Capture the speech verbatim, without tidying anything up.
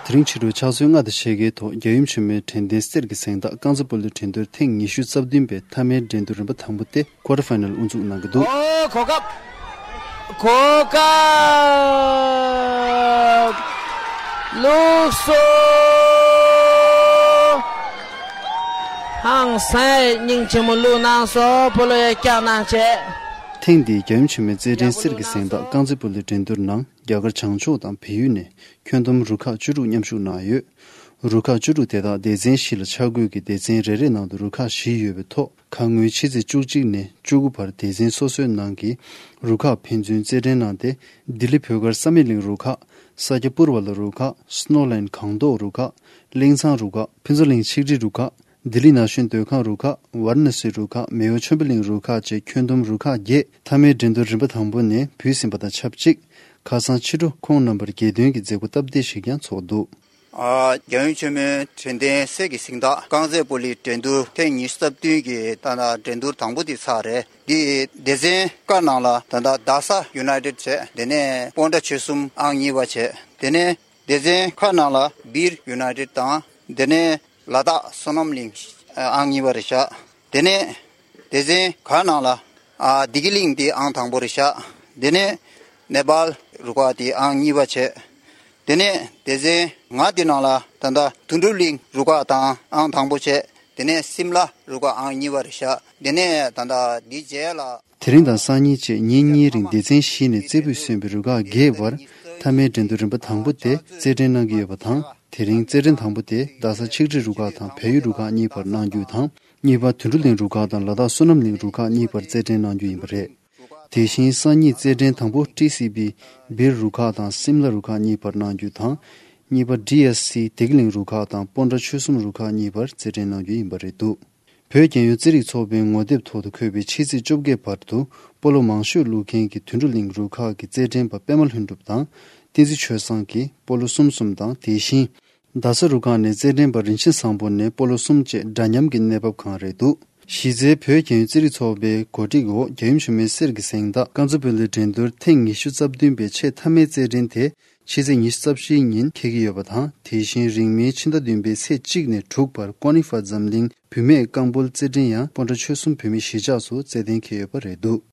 དེ་རིང་ཕྱི་དྲོའི་ཕྱག་ཚོད་ལྔ་དང་ཕྱེད་ཀའི་ཐོག་རྒྱལ་ཡུམ་ཆེན་མོའི་དྲན་རྟེན་གསེར་གྱི་གཟེངས་རྟགས་རྐང་རྩེད་སྤོ་ལོའི་འགྲན་བསྡུར་ཐེངས་ཉི་ཤུ་རྩ་བདུན་པའི་མཐའ་མའི་འགྲན་བསྡུར་རིམ་པ་དང་པོ་དེ་ཀོ་ཊར་ཕའི་ནལ་དབུ་འཛུགས་གནང་གི་འདུག། ཨོ་གོ་སྐབས། གོ་སྐབས། ལུགས་སོ། ཧང་སངས་སྙིང་ཆེན་མོ་བླུགས་གནང་སོ། སྤོ་ལོ་ཡ་བཀྱག་གནང་བྱས། ཐེངས་འདིའི་རྒྱལ་ཡུམ་ཆེན་མོའི་རྩེད་འགྲན་གསེར་གྱི་གཟེངས་རྟགས་རྐང་རྩེད་སྤོ་ལོའི་འགྲན་བསྡུར་ནང་རྒྱ་གར་བྱང་ཕྱོགས་དང་བལ་ཡུལ་ནས་ཁྱོན་བསྡོམས་རུ་ཁག་བཅུ་དྲུག་མཉམ་ཞུགས་གནང་ཡོད། རུ་ཁག་བཅུ་དྲུག་དེ་དག་སྡེ་ཚན་བཞི་ལ་ཆ་བགོས་ཀྱིས་སྡེ་ཚན་རེ་རེའི་ནང་དུ་རུ་ཁག་བཞི་ཡོད་པའི་ཐོག་ཁ་སྔོན་ཕྱི་ཚེས་བཅུ་གཅིག་ནས་བཅུ་དགུ་བར་སྡེ་ཚན་སོ་སོའི་ནང་གི་རུ་ཁག་ཕན་ཚུན་རྩེད་འགྲན་གནང་སྟེ། ལྡི་ལི་བོད་སྒར་བསམ་ཡས་གླིང་རུ་ཁག། ས་སྐྱ་པུར་བ་ལ་རུ་ཁག། སྣོ་ལན་སྒང་ཏོག་རུ་ཁག། གླིང་ཚང་རུ་ཁག། ཕུན་ཚོགས་གླིང་ཆིག་སྒྲིལ་རུ་ཁག། ལྡི་ལི་ན་གཞོན་སྡོད་ཁང་རུ་ཁག། ཝཱ་ར་ཎ་སི་རུ་ཁག། མེའོ་ཆོས་འཕེལ་གླིང་རུ་ཁག་བཅས་ཁྱོན་བསྡོམས་རུ་ཁག་བརྒྱད་མཐའ་མའི་འགྲན་བསྡུར་རིམ་པ་དང་པོ་ནས་བུད་ཟིན་པ་དང་ཆབས་ཅིག་ཁ་སང་ཕྱི་དྲོ་ཁོང་རྣམ་པར་རྒྱལ་སྟོན་གྱི་མཛད་སྒོ་སྟབས་བདེ་ཞིག་ཀྱང་ཚོགས་འདུག། ཨ། རྒྱལ་ཡུམ་ཆེན་མོའི་དྲན་རྟེན་གསེར་གྱི་གཟེངས་རྟགས་རྐང་རྩེད་སྤོ་ལོའི་འགྲན་བསྡུར་ཐེངས་ཉི་ཤུ་རྩ་བདུན་གྱི་ད་ལྟ་འགྲན་བསྡུར་དང་པོ་དེ་ཚར་རེད། འདི་སྡེ་ཚན་ཁག་ནང་ལ་ད་ལྟ་རྡ་ས་ཡུ་ནའི་ཊེཌ་བྱས། དེ་ནས་སྤོན་ཊ་ཆོལ་གསུམ་ཨང་གཉིས་པ་བྱས། དེ་ནས་སྡེ་ཚན་ཁག་ནང་ལ་སྦིར་ཡུ་ནའི་ཊེཌ་དང་། དེ་ནས་ལ་དྭགས་བསོད་ནམས་གླིང་ཨང་གཉིས་པ་རེད་ཤག། དེ་ནས་སྡེ་ཚན་ཁག་ནང་ལ་ཨ་བདེ་སྐྱིད་གླིང་དེ་ཨང་དང་པོ་རེད་ཤག། དེ་ནས་ནེ་པཱལ་རུ་ཁག་དེ་ཨང་གཉིས་པ་བྱས། དེ་ནས་སྡེ་ཚན་ལྔ་དེ་ནང་ལ་ད་ལྟ་དོན་གྲུབ་གླིང་རུ་ཁག་དང་ཨང་དང་པོ་བྱས། དེ་ནས་སིམ་ལ་རུ་ཁག་ཨང་གཉིས་པ་རེད་ཤག། དེ་ནས་ད་ལྟ་འདི་རྗེས་ལ། དེ་རིང་དང་སང་ཉིན་བཅས་ཉིན་གཉིས་རིང་སྡེ་ཚན་བཞི་ནས་རྩེ་ཕུད་སོན་པའི་རུ་ཁག་བརྒྱད་བར་མཐའ་མའི་འགྲན་བསྡུར་རིམ་པ་དང་པོ་དེ་རྩེད་འགྲན་གནང་གི་ཡོད་པ་དང་། དེ་རིང་རྩེད་འགྲན་དང་པོ་དེ་རྡ་ས་ཆིག་སྒྲིལ་རུ་ཁག་དང་བལ་ཡུལ་རུ་ཁག་གཉིས་བར་གནང་རྒྱུ་དང་། གཉིས་པ་དོན་གྲུབ་གླིང་རུ་ཁག་དང་ལ་དྭགས་བསོད་ནམས་གླིང་རུ་ཁག་གཉིས་བར་རྩེད་འགྲན་གནང་རྒྱུ་ཡིན་པ་རེད། དེ་བཞིན་སང་ཉིན་རྩེད་འགྲན་དང་པོ་ཊི་སི་བི་སྦིར་རུ་ཁག་དང་སིམ་ལ་རུ་ཁག་གཉིས་བར་གནང་རྒྱུ་དང་། གཉིས་པ་ཌི་ཨེས་སི་བདེ་སྐྱིད་གླིང་རུ་ཁག་དང་སྤོན་ཊ་ཆོལ་གསུམ་རུ་ཁག་གཉིས་བར་རྩེད་འགྲན་གནང་རྒྱུ་ཡིན་པ་རེད་འདུག། བོད་རྒྱལ་ཡོངས་རྩེད་རིགས་ཚོགས་པའི་ངོ་དེབ་ཐོག་ཏུ་འཁོད་པའི་ཕྱི་ཚེས་བཅོ་བརྒྱད་བར་དུ་སྤོ་ལོ་མང་ཤོས་བླུག་མཁན་གྱི་དོན་གྲུབ་གླིང་རུ་ཁག་གི་རྩེད་འགྲན་པ་པད་མ་ལྷུན་གྲུབ་དང་བསྟན་འཛིན་ཆོས་བཟང་གིས་སྤོ་ལོ་གསུམ་གསུམ་དང་། དེ་བཞིན་རྡ་ས་རུ་ཁག་ནས་རྩེད་འགྲན་པ་རིན་ཆེན་བཟང་པོ་ནས་སྤོ་ལོ་གསུམ་བཅས་འདྲ་མཉམ་གྱི་གནས་བབ་གང་རེད་འདུག། གཞི་རྩའི་བོད་རྒྱལ་ཡོངས་རྩེད་རིགས་ཚོགས་པའི་གོ་སྒྲིག་འོག་རྒྱལ་ཡུམ་ཆེན་མོའི་གསེར་གྱི་གཟེངས་རྟགས་རྐང་རྩེད་སྤོ་ལོའི་འགྲན་བསྡུར་ཐེངས་ཉི་ཤུ་རྩ་བདུན་པའི་ཆེས་མཐའ་མའི་རྩེད་འགྲན་དེ་ཕྱི་ཚེས་ཉི་ཤུ་རྩ་བཞིའི་ཉིན་འཁེལ་གྱི་ཡོད་པ་དང་། དེ་བཞིན་རིང་མིན་ཕྱི་ཟླ་བདུན་པའི་ཚེས་གཅིག་ནས་དྲུག་བར་ཀོ་ནི་ཧྥ་འཛམ་གླིང་བུད་མེད་རྐང་སྤོལ་རྩེད་འགྲན་ཡང་སྤོན་ཊ་ཆོལ་གསུམ་བོད་མི་གཞིས་ཆགས་སུ་རྩེད་གཏན་འཁེལ་ཡོད་པ་རེད་འདུག།